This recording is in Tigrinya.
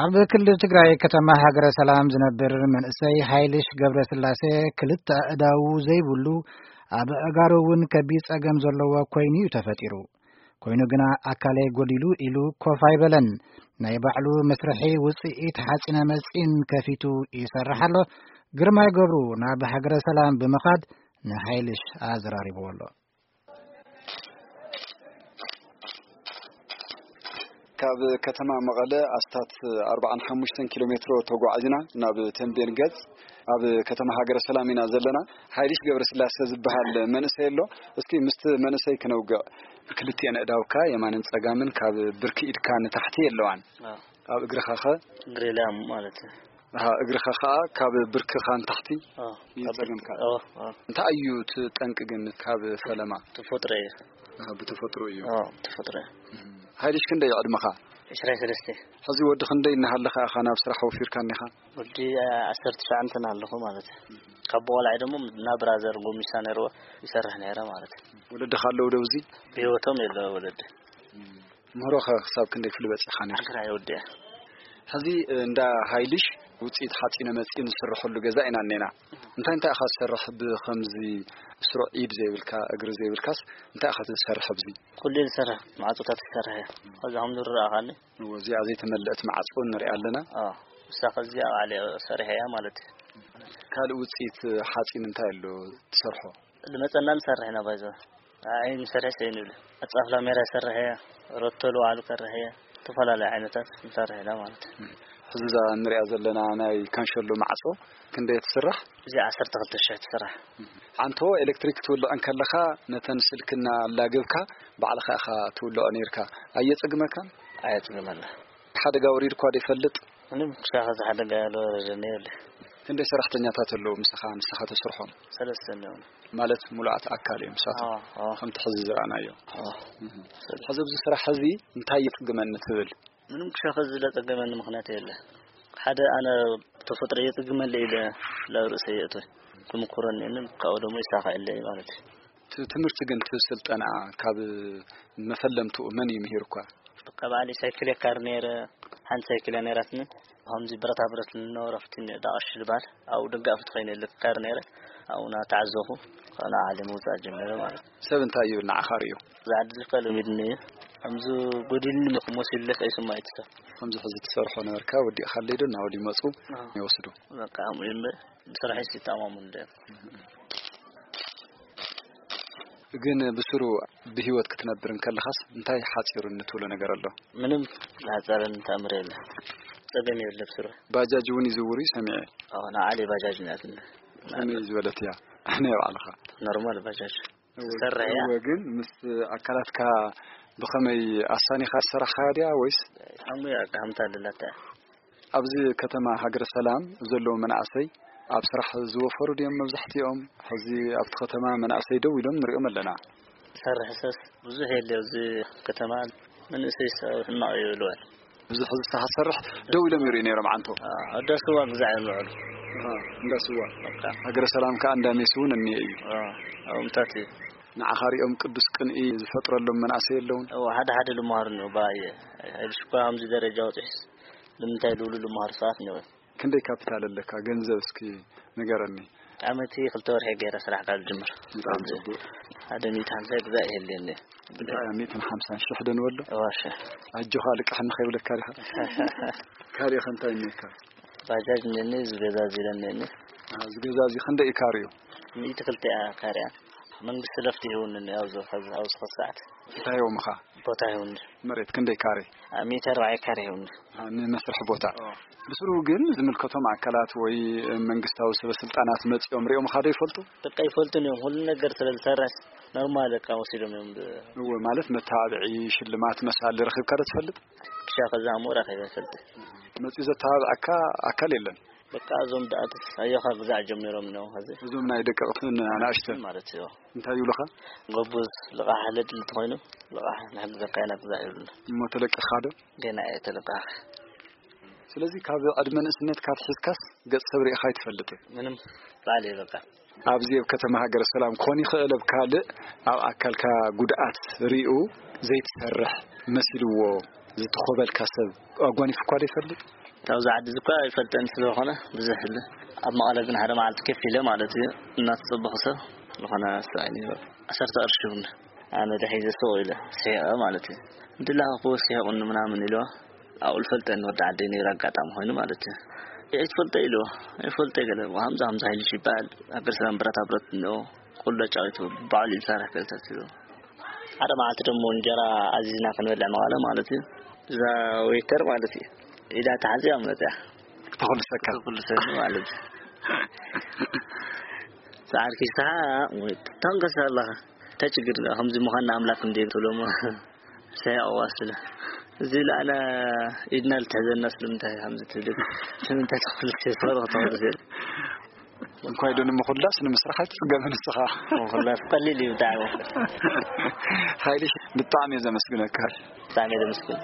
ኣብ ክልል ትግራይ ከተማ ሃገረ ሰላም ዝነብር መንእሰይ ሃይልሽ ገብረስላሴ ክልተ ኣእዳዉ ዘይብሉ፣ ኣብ ኣእጋሩ እውን ከቢድ ጸገም ዘለዎ ኮይኑ እዩ ተፈጢሩ። ኮይኑ ግና ኣካለይ ጎዲሉ ኢሉ ኮፍ ኣይበለን። ናይ ባዕሉ መስርሒ ውጽኢት ሓጺነ መጺን ከፊቱ ይሰርሕ ኣሎ። ግርማይ ገብሩ ናብ ሃገረ ሰላም ብምኻድ ንሃይልሽ ኣዘራሪብዎ ኣሎ። ካብ ከተማ መቐለ ኣስታት ኣርባዓን ሓሙሽተን ኪሎ ሜትሮ ተጓዒዝና ናብ ተንቤን ገጽ ኣብ ከተማ ሃገረ ሰላም ኢና ዘለና። ሓይልሽ ገብረስላሴ ዝበሃል መንእሰይ ኣሎ። እስኪ ምስቲ መንእሰይ ክነውግዕ። ክልቲኤን ኣእዳውካ የማንን ጸጋምን ካብ ብርኪ ኢድካ ንታሕቲ የለዋን። ኣዎ። ኣብ እግርኻ ኸ? እግሪ ላም ማለት እዩ። ኣሃ፣ እግርኻ ኸኣ ካብ ብርክኻ ንታሕቲ ኣዎ። እዩ ጸገምካ። ኣዎ፣ ኣዎ። እንታይ እዩ እቲ ጠንቂ ግን ካብ ፈለማ? ተፈጥሮ እዩ። ኣሃ፣ ብተፈጥሮ እዩ። ኣዎ፣ ብተፈጥሮ እዩ። እም። ሓይልሽ ክንደይ እዩ ዕድመኻ? ዕስራን ሰለስተን። ሕዚ ወዲ ክንደይ እናሃለኻ ኢኻ ናብ ስራሕ ወፊርካ እኒኻ? ወዲ፣ አ፣ ዓሰርተ ትሽዓተ እናሃለኹ ማለት እዩ። ካብ ቆልዓ ደሞ ናብ ብራዘር ጎሚሳ ነይርዎ ይሰርሕ ነይረ ማለት እዩ። ወለድኻ ኣለዉ ዶ ኣብዚ? ብህይወቶም የለ ወለዲ። እም። ምህሮኸ ክሳብ ክንደይ ክፍሊ በጺሕኻ ነይርካ? ዓስራ እየ ወዲአ። ሕዚ፣ እ፣ እንዳ ሃይልሽ ውጽኢት ሓጺነ መጺን ዝስርሐሉ ገዛ ኢና እኔና። እንታይ እንታይ ኢኻ ትሰርሕ? ብኸምዚ ስሩዕ ኢድ ዘይብልካ፣ እግሪ ዘይብልካስ እንታይ ኢኻ ትሰርሕ ኣብዚ? ኩሉ እየ ዝሰርሕ፣ ማዕጾታት ይሰርሕ እየ። ኸዚ ከም ዝረኣኻኒ። እወ፣ እዚኣ ዘይተመልአት ማዕጾ ንሪኣ ኣለና። ኣዎ፣ እሳ ኸዚ ኣብ ዓሊ ሰሪሐ እያ ማለት እዩ። ካልእ ውጽኢት ሓጺን እንታይ ኣሎ ትሰርሖ? ዝመጸና ንሰርሕ ኢና ባይዞ። ኣይ ንሰርሕ ሰይ ንብል። ኣጻፍ ላሜራ ይሰርሕ እየ፣ ሮቶ ልዋዕሉ ከርሕ እየ፣ ዝተፈላለዩ ዓይነታት ንሰርሕ ኢና ማለት እዩ። ሕዚ እዛ ንሪኣ ዘለና ናይ ካንሸሎ ማዕጾ ክንደይ ትስራሕ? እዚ ዓሰርተ ክልተ ሽሕ ትስራሕ። ዓንቶ ኤሌክትሪክ ትውልዕ እንከለኻ ነተን ስልክና ኣላገብካ ባዕልኻ ኢኻ ትውልዖ ነይርካ። ኣየጸግመካን? ኣየጸግመና። ሓደጋ ወሪድኳ ዶ ይፈልጥ? ምንም ክሳኸ ዝሓደጋ ያልወረደኒ የብለ። ክንደይ ሰራሕተኛታት ኣለዉ ምሳኻ፣ ንስኻ ተስርሖም? ሰለስተ ኣለዉ። ማለት ሙሉኣት ኣካል እዮም ንሳቶም? ኣዎ፣ ኣዎ። ከምቲ ሕዚ ዝረኣናዮ። ኣዎ። እህ። ሰለስተ። ሕዚ ኣብዚ ስራሕ ሕዚ እንታይ ይጽግመኒ ትብል? ምንም ክሳኸ ዝለጸገመኒ ምኽንያት የለ። ሓደ ኣነ ተፈጥሮ የጽግመለ ኢለ ናብ ርእሰይ የእትወ። ክምኩረኒ እንም ካብኡ ደሞ ይሳኸ የለ ማለት እዩ። ት-፣ ትምህርቲ ግን እቲ ስልጠና ካብ መፈለምትኡ መን እዩ ምሂርኳ? በቃ ባዕለይ ሳይክል የካር ነይረ፣ ሓንቲ ሳይክል እያ ነይራትኒ። ከምዚ ብረታ ብረት ንነበረ ኣብቲ ዳቕሽ ዝበሃል፣ ኣብኡ ደጋፊ ተኾይነ ልካር ነይረ። ኣብኡ እናተዓዘኹ፣ ካብኡ ንዓ ዓሊ ምውጻእ ጀሚረ ማለት እዩ። ሰብ እንታይ ይብል ንዓኻ ርእዩ? እዚ ዓዲ እዚ እኳ ለሚድኒ እዩ። ከምዚ ጎዲልኒ ክመሲሉ ከይስምዖ እቲ ሰብ። ከምዚ ሕዚ ትሰርሖ ነበርካ፣ ወዲእኻለይ ዶ እናበሉ ይመጹ፣ ኣዎ። ይወስዱ? በቃ፣ ከምኡ እዩ እምበር፣ ብስራሐይስ ይተኣማመኑ እንድዮም። ግን ብስሩ ብህይወት ክትነብር እንከለኻስ እንታይ ሓጺሩኒ ትብሎ ነገር ኣሎ? ምንም ዝሓጸረኒ ተኣምር የለ። ጸገም የለ ብስሩ። ባጃጅ እውን ይዝውር እዩ ሰሚዐ። ኣዎ፣ ንዓሊ ባጃጅ ናትኒ። ከመይ ዝበለት እያ? ናይ ባዕልኻ? ኖርማል ባጃጅ። እወ፣ ትሰርሕ እያ። እወ፣ ግን ምስ ኣካላትካ ብኸመይ ኣሳኒኻ ዝሰራሕኻያ ድያ ወይስ? ሓሙያ ኣቃምታ ኣለላታ። ኣብዚ ከተማ ሃገረ ሰላም ዘለዉ መናእሰይ ኣብ ስራሕ ዝወፈሩ ድዮም መብዛሕትኦም? ሕዚ ኣብቲ ከተማ መናእሰይ ደው ኢሎም ንሪኦም ኣለና። ሰርሕ ሰስ ብዙሕ የለ ኣብዚ ከተማ፣ መንእሰይ ሰብ ሕማቕ እዩ ይብልዋል። ብዙሕ ዝሰሓ ሰርሕ ደው ኢሎም ይርእዩ ነይሮም ዓንቶ። አ፣ እንዳ ስዋ ግዛዕ እዮም ዝውዕሉ። አ፣ እንዳ ስዋ። በቃ። ሃገረ ሰላም ከኣ እንዳ ሜስ እውን እኒአ እዩ። አ፣ ኣብኡ ምታት እዩ። ንዓኻ ሪኦም ቅዱስ ቅንኢ ዝፈጥረሎም መናእሰይ ኣለውን? እወ፣ ሓደ ሓደ ልምሃሩ እኒኦ፣ ብኣየ፣ ኣይብሽ እኳ ከምዚ ደረጃ ወፂሕስ፣ ንምንታይ ዝብሉ ልምሃሩ ሰባት እኒኦ። ክንደይ ካፒታል ኣለካ? ገንዘብ እስኪ ንገረኒ። ዓመቲ ክልተ ወርሒ ገይረ ስራሕ ካብ ዝጅምር። ብጣዕሚ ጽቡቅ። ሓደ ሚእቲ ሓምሳ ግዛእ ይህልየኒ። እንታይ እያ ሚእትን ሓምሳን ሽሕ ዶ ንበሎ? እወ፣ ሽሕ። ኣጆኻ ልቃሕኒ ከይብለካ ዲኻ? ካሪኻ እንታይ እኒካ? ባጃጅ እኒኒ፣ ዝገዛ ዚለ እኒኒ። አ፣ ዝገዛ እዚ ክንደይ እዩ ካሪኡ? ሚእቲ ክልተ እያ ካሪያ። መንግስቲ ለፍቲ ይህውኒ ኣብዚ፣ ኣብዚ፣ ኣብዚ ሰዓት። እንታይ ይህቦምኻ? ቦታ ይህውኒ። መሬት ክንደይ ካሬ? አ፣ ሚእቲ ኣርባዕተ ካሬ ይህውኒ። አ፣ ንመስርሒ ቦታ። ኦ። ብስሩ ግን ዝምልከቶም ኣካላት ወይ መንግስታዊ ሰበ ስልጣናት መጺኦም ሪኦም ኻዶ ይፈልጡ? በቃ ይፈልጡን እዮም። ሁሉ ነገር ስለ ዝሰርሕ ኖርማል በቃ ወሲዶም እዮም ብ- እወ፣ ማለት መተባብዒ፣ ሽልማት መሳሊ ረኺብካ ዶ ትፈልጥ? ክሻ ከዛ እሞ ረኺበ ይፈልጥ። መጺኡ ዘተባብዐካ ኣካል የለን? በቃ እዞም ደኣትስ ኣዮኻ ግዛዕ ጀሚሮም ነው ኸዚ። እዞም ናይ ደቀቕትን ኣናእሽተን? ማለት እዩ። እንታይ ይብሉኻ? ጎቡዝ ልቓሕ ለድሊ እንተኾይኑ፣ ልቓሕ ንሕግዘካ ኢና ግዛዕ ይብሉና። እሞ ተለቂኻ ዶ? ገና እየ ተለቃኺ። ስለዚ ካብ ዕድመ ንእስነትካ ኣትሒዝካስ ገጽ ሰብ ርኢኻ ኣይትፈልጥን? ምንም፣ ባዕለይ በቃ። ኣብዚ ኣብ ከተማ ሃገረ ሰላም ክኾን ይኽእል፣ ኣብ ካልእ ኣብ ኣካልካ ጉድኣት ርኢኡ ዘይትሰርሕ መሲልዎ ዝተኾበልካ ሰብ ኣጓኒፉኳ ዶ ይፈልጥ? ካብዚ ዓዲ እዚ እኳ ይፈልጠኒ ስለዝኾነ ብዙሕ ል-፣ ኣብ መቐለ ግን ሓደ መዓልቲ ከፍ ኢለ ማለት እዩ እናተፀበኹ ሰብ ዝኾነ ሰብኣይ ነይሩ። ዓሰርተ ቅርሺ እውን ኣነ ደሒዘ ስቕ ኢለ ስሒቐ ማለት እዩ። እንድላኸኹ ስሒቑኒ ምናምን ኢልዎ ኣብኡ ዝፈልጠኒ ወዲ ዓደይ ነይሩ ኣጋጣሚ ኮይኑ ማለት እዩ። ኣይትፈልጦ ኢልዎ ኣይፈልጦ ገለ ከምዛ ከምዛ ኢሉ ይባሃል ኣብ ገለ ሰላም ብረታ ብረት እንኦ ኩሉ ኣጫዊቱ ባዕሉ ይሰርሕ ገለታት ኢሉ ሓደ መዓልቲ ደሞ እንጀራ ኣዚዝና ክንበልዕ መቐለ ማለት እዩ። እዛ ዌይተር ማለት እዩ ኢዳ ተሓዚያ መፅያ ተኹልሰካ ተኩልሰኒ ማለት እዩ። ሰዓር ኪስሓ ተንቀስ ኣለኻ እንታይ ችግር ከምዚ ምዃን ንኣምላክ እንደ ትብሎሞ ሰያቕዋ ስለ እዚ ለኣና ኢድና ልትሕዘና ስለምንታይ ከምዚ ትብል ስለምንታይ ተኹልሰ ተበረኽ ተኹልሰ እንኳይ ዶ ንምኹላስ ንምስራሕ ኣይትፅገምን ንስኻ ምኹላስ ቀሊል እዩ ብጣዕሚ ሓይልሽ ብጣዕሚ እየ ዘመስግነካ ብጣዕሚ እየ ዘመስግን